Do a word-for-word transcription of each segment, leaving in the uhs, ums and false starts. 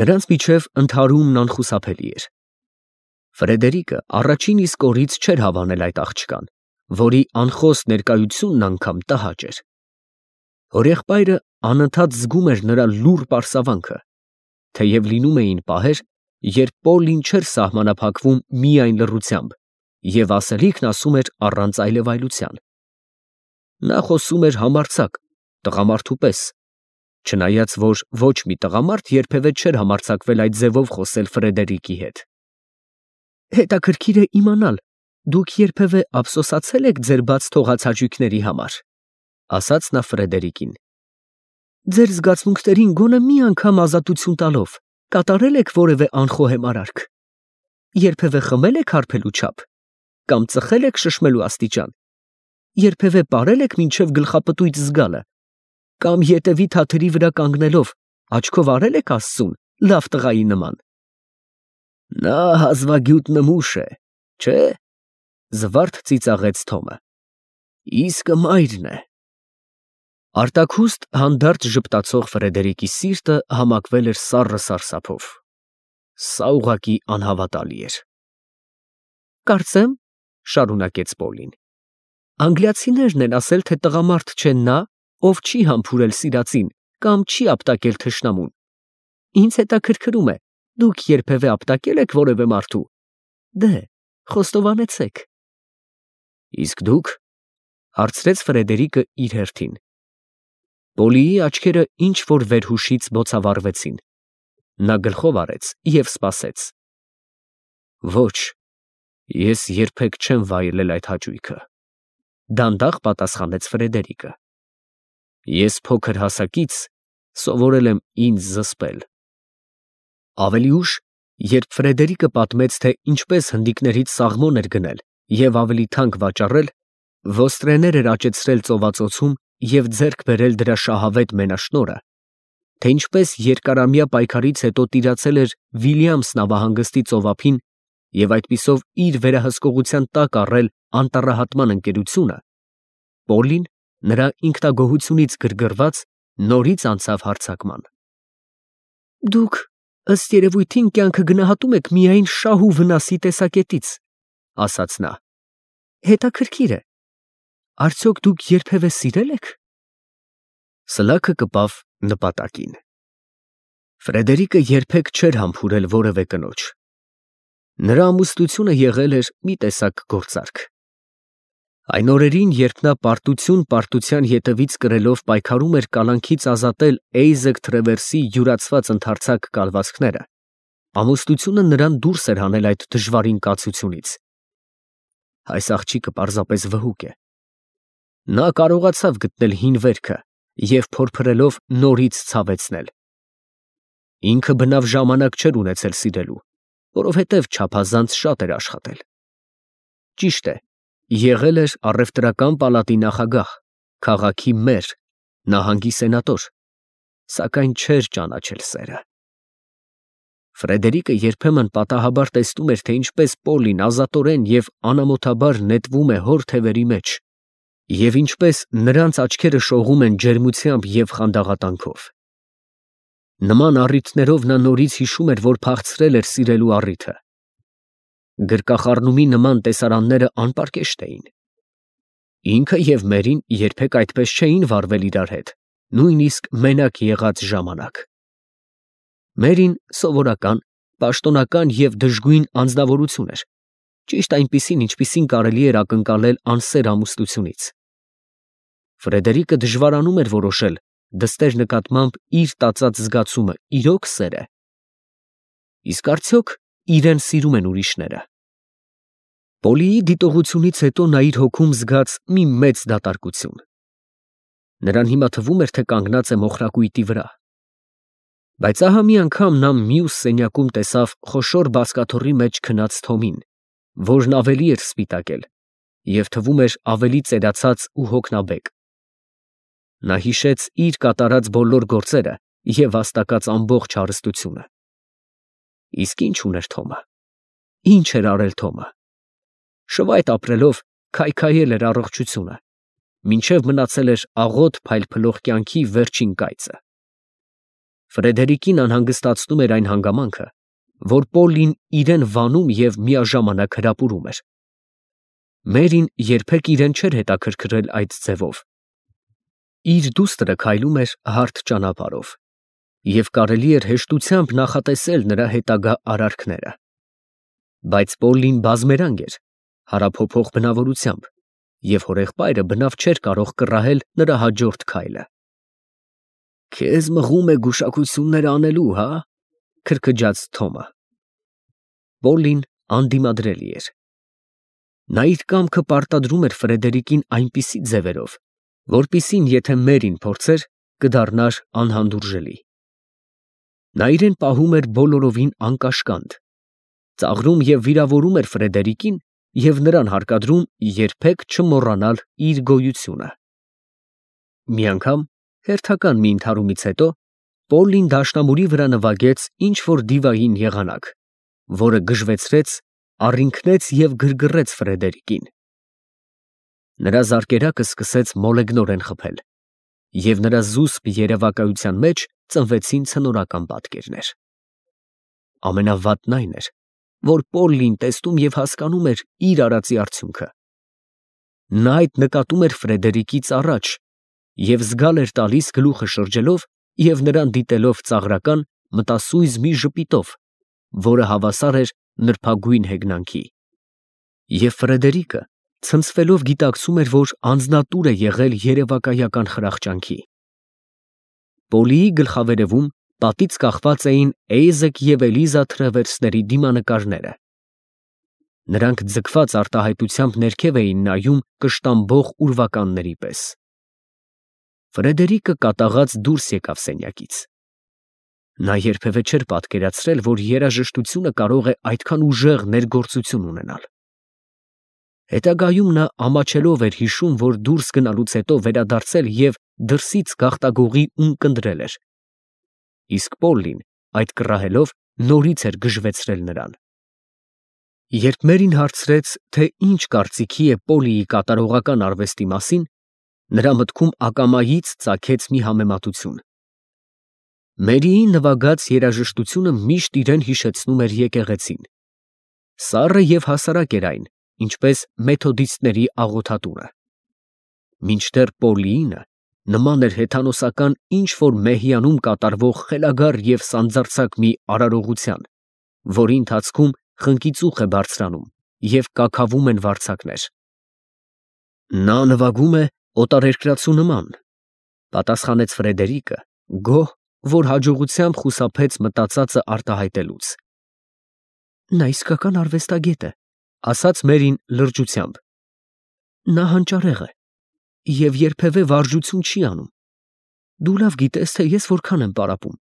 Նրանց միջև ընդհարումն անխուսափելի էր։ Ֆրեդերիկը առաջին իսկ օրից չէր հավանել այդ աղջկան, որի անխոս ներկայությունն անգամ տհաճ էր։ Հորեղբայրը անընդհատ զգում էր նրա լուռ պարսավանքը, թեև լինում էին պահեր, երբ Պոլլին չէր սահմանափակվում միայն լռությամբ և ասելիքն ասում էր առանց այլևայլության։ Նա խոսում էր համարձակ, տղամարդու պես, չնայած որ ոչ մի տղամարդ երբևէ չէր համարձակվել այդ ձևով խոսել Ֆրեդերիկի հետ։ Հետաքրքիր է իմանալ, դուք երբևէ ափսոսացե՞լ եք ձեր բաց թողած հաճույքների համար, ասաց նա Ֆրեդերիկին։ Ձեր զգացմունքներին գոնե մի անգամ ազատություն տալով կատարել եք որևէ անխոհեմ արարք, երբևէ խմել եք հարբելու չափ, կամ ծխել եք շշմելու աստիճան, երբևէ պարել եք մինչև գլխապտույտ զգալը, կամ ետևի թաթերի վրա կանգնելով աչքով արել եք Աստծուն լավ տղայի նման։ Նա հազվագյուտ նմուշ է, չէ՞, զվարթ ծիծաղեց Թոմը։ Իսկը մայրն է։ Արտաքուստ հանդարտ ժպտացող Ֆրեդերիկի սիրտը համակվել էր սառը սարսափով։ Սա ուղղակի անհավատալի էր։ Կարծեմ, շարունակեց Պոլին, անգլիացիներն են ասել, թե տղամարդ չէ նա, ով չի համբուրել սիրածին կամ չի ապտակել թշնամուն։ Ինձ հետաքրքրում է, դուք երբևէ ապտակել եք որևէ մարդու։ Դե, խոստովանեցեք։ Իսկ դուք, հարցրեց Ֆրեդերիկը իր հերթին։ Պոլիի աչքերը ինչ որ վերհուշից բոցավառվեցին։ Նա գլխով արեց և սպասեց։ Ոչ, ես երբեք չեմ վայելել այդ հաճույքը, դանդաղ պատասխանեց Ֆրեդերիկը։ Ես փոքր հասակից սովորել եմ ինձ զսպել։ Ավելի ուշ, երբ Ֆրեդերիկը պատմեց, թե ինչպես հնդիկներից սաղմոն էր գնել և ավելի թանկ վաճառել, ոստրեներ էր աճեցրել ծովածոցում և ձեռք բերել դրա շահավետ մենաշնորհը, թե ինչպես երկարամյա պայքարից հետո տիրացել էր Վիլյամս նավահանգստի ծովափին և այդպիսով իր վերահսկողության տակ առել անտառահատման ընկերությունը, Պոլին, նրա ինքնագոհությունից գրգռված, նորից անցավ հարձակման։ Դուք, ըստ երևույթին, կյանքը գնահատում եք միայն շահ ու վնասի տեսակետից, ասաց նա։ Հետաքրքիր է, արդյոք դուք երբևէ սիրել եք։ Սլաքը կպավ նպատակին։ Ֆրեդերիկը երբեք չէր համբուրել որևէ կնոջ։ Նրա ամուսնությունը եղել էր մի տեսակ գործարք։ Այն օրերին, երբ նա պարտություն պարտության ետևից կրելով պայքարում էր կալանքից ազատել Էյզեկ Թրևերսի յուրացված ընդարձակ կալվածքները, ամուսնությունը նրան դուրս էր հանել այդ դժվարին կացությունից։ Այս աղջիկը պարզապես վհուկ է։ Նա կարողացավ գտնել հին վերքը և փորփրելով նորից ցավեցնել։ Ինքը բնավ ժամանակ չէր ունեցել սիրելու, որովհետև չափազանց շատ էր աշխատել։ Ճիշտ է, եղել էր առևտրական պալատի նախագահ, քաղաքի մեր, նահանգի սենատոր, սակայն չէր ճանաչել սերը։ Ֆրեդերիկը երբեմն պատահաբար տեսնում էր, թե ինչպես Պոլին ազատորեն և անամոթաբար նետվում է հոր թևերի մեջ, և ինչպես նրանց աչքերը շողում են ջերմությամբ և խանդաղատանքով։ Նման առիթներով նա նորից հիշում էր, որ փախցրել էր սիրելու առիթը։ Գրկախառնումի նման տեսարանները անպարկեշտ էին։ Ինքը և Մերին երբեք այդպես չէին վարվել իրար հետ, նույնիսկ մենակ եղած ժամանակ։ Մերին սովորական, պաշտոնական և դժգույն անձնավորություն էր, ճիշտ այնպիսին, ինչպիսին կարելի էր ակնկալել անսեր ամուսնությունից։ Ֆրեդերիկը դժվարանում էր որոշել դստեր նկատմամբ իր տածած զգացումը իրո՞ք սեր է։ Իսկ արդյոք իրեն սիրում են ուրիշները։ Պոլիի դիտողությունից հետո նա իր հոգում զգաց մի մեծ դատարկություն։ Նրան հիմա թվում էր, թե կանգնած է մոխրակույտի վրա։ Բայց ահա մի անգամ նա մյուս սենյակում տեսավ խոշոր բազկաթոռի մեջ քնած Թոմին, որն ավելի էր սպիտակել և թվում էր ավելի ծերացած ու հոգնաբեկ։ Նա հիշեց իր կատարած բոլոր գործերը և վաստակած ամբողջ հարստությունը։ Իսկ ի՞նչ ուներ Թոմը։ Ի՞նչ էր արել Թոմը։ Շվայտ ապրելով քայքայել էր առողջությունը, մինչև մնացել էր աղոտ փայլփլող կյանքի վերջին կայծը։ Ֆրեդերիկին անհանգստացնում էր այն հանգամանքը, որ Պոլլին իրեն վանում և միաժամանակ հրապուրում էր։ Մերին երբեք իրեն չէր հետաքրքրել այդ ձևով։ Իր դուստրը քայլում էր հարթ ճանապարհով, և կարելի էր հեշտությամբ նախատեսել նրա հետագա արարքները։ Բայց Պոլլին բազմերանգ էր, հարափոփող բնավորությամբ, և հորեղբայրը բնավ չէր կարող կռահել նրա հաջորդ քայլը։ «Քեզ մղում է գուշակություններ անելու, հա՞, քրքջաց Թոմը։ Պոլլին անդիմադրելի էր։ Նա իր կամքը պարտադրում էր Ֆրեդերիկին այնպիսի ձևերով, որպիսին եթե Մերին փորձեր, կդառնար անհանդուրժելի։ Նա իրեն պահում էր բոլորովին անկաշկանդ, ծաղրում և վիրավորում էր Ֆրեդերիկին և նրան հարկադրում երբեք չմոռանալ իր գոյությունը։ Մի անգամ, հերթական մի ընդհարումից հետո, Պոլլին դաշնամուրի վրա նվագեց ինչ֊որ դիվային եղանակ, որը գժվեցրեց, առինքնեց և գրգռեց Ֆրեդերիկին։ Նրա զարկերակը սկսեց մոլեգնորեն խփել, և նրա զուսպ երևակայության մեջ ծնվեցին ցնորական պատկերներ։ Ամենավատն այն էր, որ Պոլլին տեսնում և հասկանում էր իր արածի արդյունքը։ Նա այդ նկատում էր Ֆրեդերիկից առաջ և զգալ էր տալիս գլուխը շրջելով և նրան դիտելով ծաղրական, մտասույզ մի ժպիտով, որը հավասար էր նրբագույն հեգնանքի։ Եվ Ֆրեդերիկը ցնցվելով գիտակցում էր, որ անձնատուր է եղել երևակայական խրախճանքի։ Պոլլիի գլխավերևում պատից կախված էին Էյզեկ և Էլիզա Թրևերսների դիմանկարները։ Նրանք ձգված արտահայտությամբ ներքև էին նայում կշտամբող ուրվականների պես։ Ֆրեդերիկը կատաղած դուրս եկավ սենյակից։ Նա երբևէ չէր պատկերացրել, որ երաժշտությունը կարող է այդքան ուժեղ ներգործություն ունենալ։ Հետագայում նա ամաչելով էր հիշում, որ դուրս գնալուց հետո վերադարձել և դրսից գաղտագողի ունկնդրել էր, իսկ Պոլլին, այդ կռահելով, նորից էր գժվեցրել նրան։ Երբ Մերին հարցրեց, թե ինչ կարծիքի է Պոլլիի կատարողական արվեստի մասին, նրա մտքում ակամայից ծագեց մի համեմատություն։ Մերիի նվագած երաժշտությունը միշտ իրեն հիշեցնում էր եկեղեցին։ Սառը և հասարակ էր այն, ինչպես մեթոդիստների աղոթատունը։ Մինչդեռ Պոլլիինը նման էր հեթանոսական ինչ֊որ մեհյանում կատարվող խելագար և սանձարձակ մի արարողության, որի ընթացքում խնկիծուխ է բարձրանում և կաքավում են վարձակներ։ Նա նվագում է օտարերկրացու նման, պատասխանեց Ֆրեդերիկը, գոհ, որ հաջողությամբ խուսափեց մտածածը արտահայտելուց։ Նա իսկական արվեստագետ է, ասաց Մերին լրջությամբ։ Նա հանճարեղ է և երբևէ վարժություն չի անում։ Դու լավ գիտես, թե ես որքան եմ պարապում։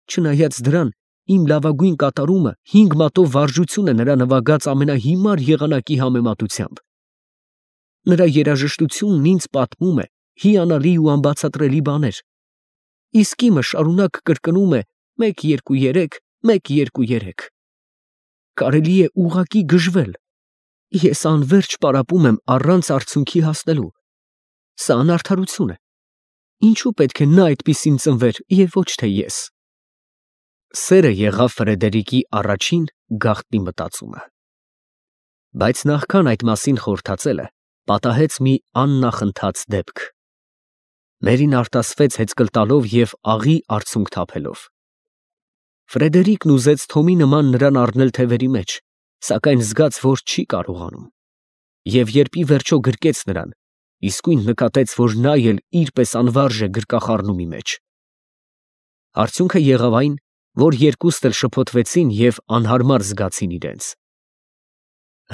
Չնայած դրան, իմ լավագույն կատարումը հինգ մատով վարժություն է նրա նվագած ամենահիմար եղանակի համեմատությամբ։ Նրա երաժշտությունն ինձ պատմում է հիանալի ու անբացատրելի բաներ, իսկ իմը շարունակ կրկնում է մեկ, երկու, երեք, մեկ, երկու, երեք։ Կարելի է ուղղակի գժվել։ Ես անվերջ պարապում եմ առանց արդյունքի հասնելու։ Սա անարդարություն է։ Ինչու պետք է նա այդպիսին ծնվեր և ոչ թե ես։ Սերը եղավ Ֆրեդերիկի առաջին գաղտնի մտածումը։ Բայց նախքան այդ մասին խորհրդածելը, պատահեց մի աննախընթաց դեպք։ Մերին արտասվեց հեծկլ տալով և աղի արցունք թափելով։ Ֆրեդերիկն ուզեց Թոմի նման նրան առնել թևերի մեջ, սակայն զգաց, որ չի կարողանում։ Եվ երբ ի վերջո գրկեց նրան, իսկույն նկատեց, որ նա էլ իր պես անվարժ է գրկախառնումի մեջ։ Արդյունքը եղավ այն, որ երկուստ էլ շփոթվեցին և անհարմար զգացին իրենց։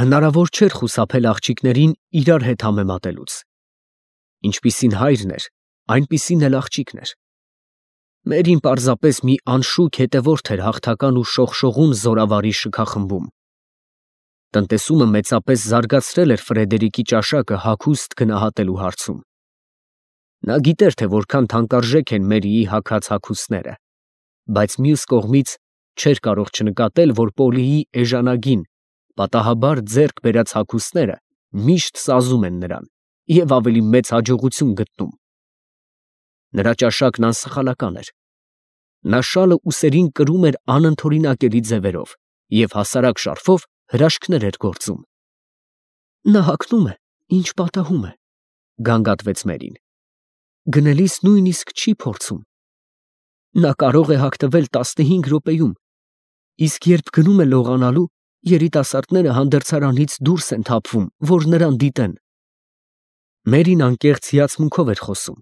Հնարավոր չէր խուսափել աղջիկներին իրար հետ համեմատելուց։ Ինչպիսին հայրն էր, այնպիսին էլ աղջիկն էր։ Մերին պարզապես մի անշուք հետևորդ էր հաղթական ու շողշողուն զորավարի շքախմբում։ Տնտեսումը մեծապես զարգացրել էր Ֆրեդերիկի ճաշակը հագուստ գնահատելու հարցում։ Նա գիտեր, թե որքան թանկարժեք են Մերիի հագած հագուստները, բայց մյուս կողմից չէր կարող չնկատել, որ Պոլլիի էժանագին, պատահաբար ձեռք բերած հագուստները միշտ սազում են նրան և ավելի մեծ հաջողություն գտնում։ Նրա ճաշակն անսխալական էր։ Նա շալը ուսերին կրում էր անընդօրինակելի ձևերով և հասարակ շարֆով հրաշքներ էր գործում։ Նա հագնում է, ինչ պատահում է, գանգատվեց Մերին։ Գնելիս նույնիսկ չի փորձում։ Նա կարող է հագնվել տասնհինգ րոպեում, իսկ երբ գնում է լողանալու, երիտասարդները հանդերձարանից դուրս են թափվում, որ նրան դիտեն։ Մերին անկեղծ հիացմունքով էր խոսում,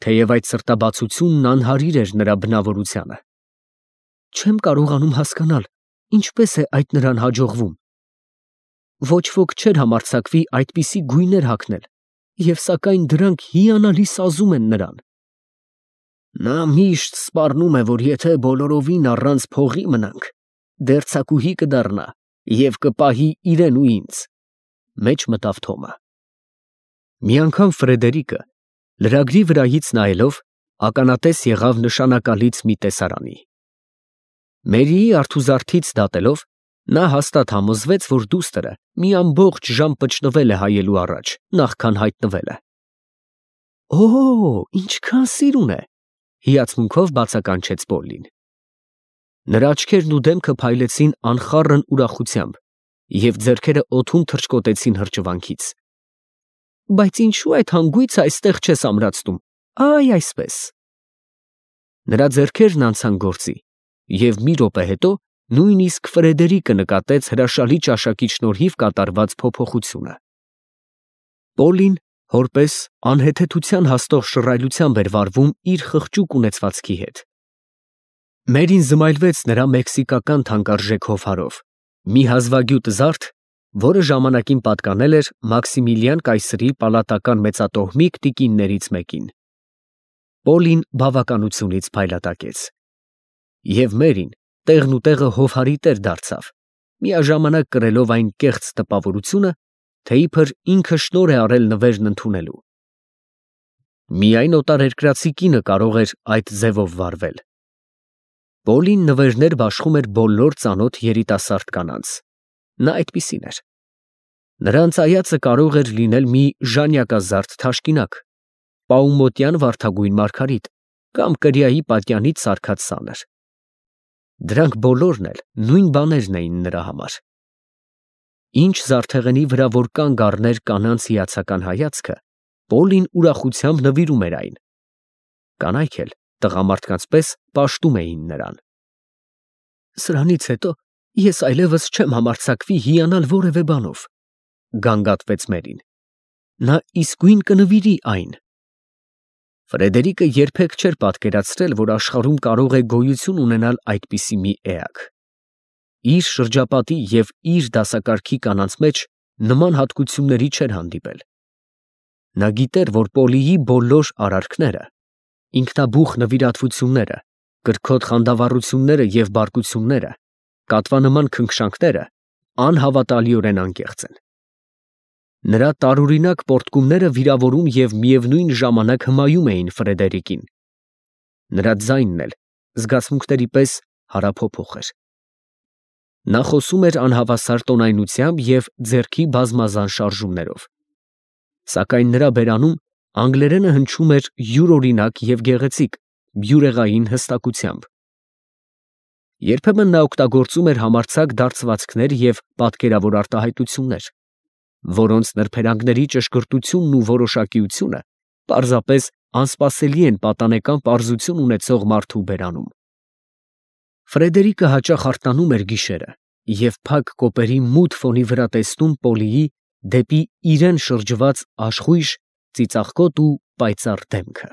թեև այդ սրտաբացությունն անհարիր էր նրա բնավորությանը։ Չեմ կարողանում հասկանալ, ինչպես է այդ նրան հաջողվում։ Ոչ ոք չէր համարձակվի այդպիսի գույներ հագնել, և սակայն դրանք հիանալի սազում են նրան։ Նա միշտ սպառնում է, որ եթե բոլորովին առանց փողի մնանք, դերձակուհի կդառնա և կպահի իրեն ու ինձ, մեջ մտավ Թոմը։ Մի անգամ Ֆրեդերիկը, լրագրի վրայից նայելով, ականատես եղավ նշանակալից մի տեսարանի։ Մերիի արթուզարդից դատելով, նա հաստատ համոզվեց, որ դուստրը մի ամբողջ ժամ պճնվել է հայելու առաջ, նախքան հայտնվել է։ Օ՜, ինչքան սիրուն է, հիացմունքով բացականչեց Պոլլին։ Նրա աչքերն ու դեմքը փայլեցին անխառն ուրախությամբ, և ձեռքերը օդում թռչկոտեցին հրճվանքից։ Բայց ինչու այդ հանգույցը այստեղ չես ամրացնում, այ այսպես։ Նրա ձեռքերն անցան գործի, և մի րոպե հետո նույնիսկ Ֆրեդերիկը նկատեց հրաշալի ճաշակի շնորհիվ կատարված փոփոխությունը։ Պոլլին որպես անհեթեթության հասնող շռայլությամբ էր վարվում իր խղճուկ ունեցվածքի հետ։ Մերին զմայլվեց նրա մեքսիկական թանկարժեք հովհարով, մի հազվագյուտ զարդ, որը ժամանակին պատկանել էր Մաքսիմիլիան կայսրի պալատական մեծատոհմիկ տիկիններից մեկին։ Պոլլին բավականությունից փայլատակեց։ Եվ Մերին տեղնուտեղը հովհարի տեր դարձավ, միաժամանակ կրելով այն կեղծ տպավորությունը, թե իբր ինքը շնորհ է արել նվերն ընդունելու։ Միայն օտարերկրացի կինը կարող էր այդ ձևով վարվել։ Պոլլին նվերներ բաշխում էր բոլոր ծանոթ երիտասարդ կանանց։ Նա այդպիսին էր։ Նրանց այածը կարող էր լինել մի ժանյակազարդ թաշկինակ, պաումոտյան վարդագույն մարգարիտ կամ կրիայի պատյանից սարքած սանր։ Դրանք բոլորն էլ նույն բաներն էին նրա համար։ Ինչ զարդեղենի վրա որ կանգ առներ կանանց հիացական հայացքը, Պոլլին ուրախությամբ նվիրում էր այն։ Կանայք էլ տղամարդկանց պես պաշտում էին նրան։ Սրանից հետո ես այլևս չեմ համարձակվի հիանալ որևէ բանով, գանգատվեց Մերին։ Նա իսկույն կնվիրի այն։ Ֆրեդերիկը երբեք չէր պատկերացրել, որ աշխարհում կարող է գոյություն ունենալ այդպիսի մի էակ։ Իր շրջապատի և իր դասակարգի կանանց մեջ նման հատկությունների չէր հանդիպել։ Նա գիտեր, որ Պոլիի բոլոր արարքները, ինքնաբուխ նվիրատվությունները, կրքոտ խանդավառությունները և բարկությունները, կատվանման քնքշանքները անհավատալիորեն անկեղծ են։ Նրա տարօրինակ պոռթկումները վիրավորում և միևնույն ժամանակ հմայում էին Ֆրեդերիկին։ Նրա ձայնն էլ զգացմունքների պես հարափոփոխ էր։ Նա խոսում էր անհավասար տոնայնությամբ և ձեռքի բազմազան շարժումներով։ Սակայն նրա բերանում անգլերենը հնչում էր յուրօրինակ և գեղեցիկ, բյուրեղային հստակությամբ։ Երբեմն նա օգտագործում էր համարձակ դարձվածքներ և պատկերավոր արտահայտություններ, որոնց նրբերանգների ճշգրտությունն ու որոշակիությունը պարզապես անսպասելի են պատանեկան պարզություն ունեցող մարդու բերանում։ Ֆրեդերիկը հաճախ արթնանում էր գիշերը և փակ կոպերի մութ ֆոնի վրա տեսնում Պոլիի դեպի իրեն շրջված աշխույժ, ծիծաղկոտ ու պայծառ դեմքը։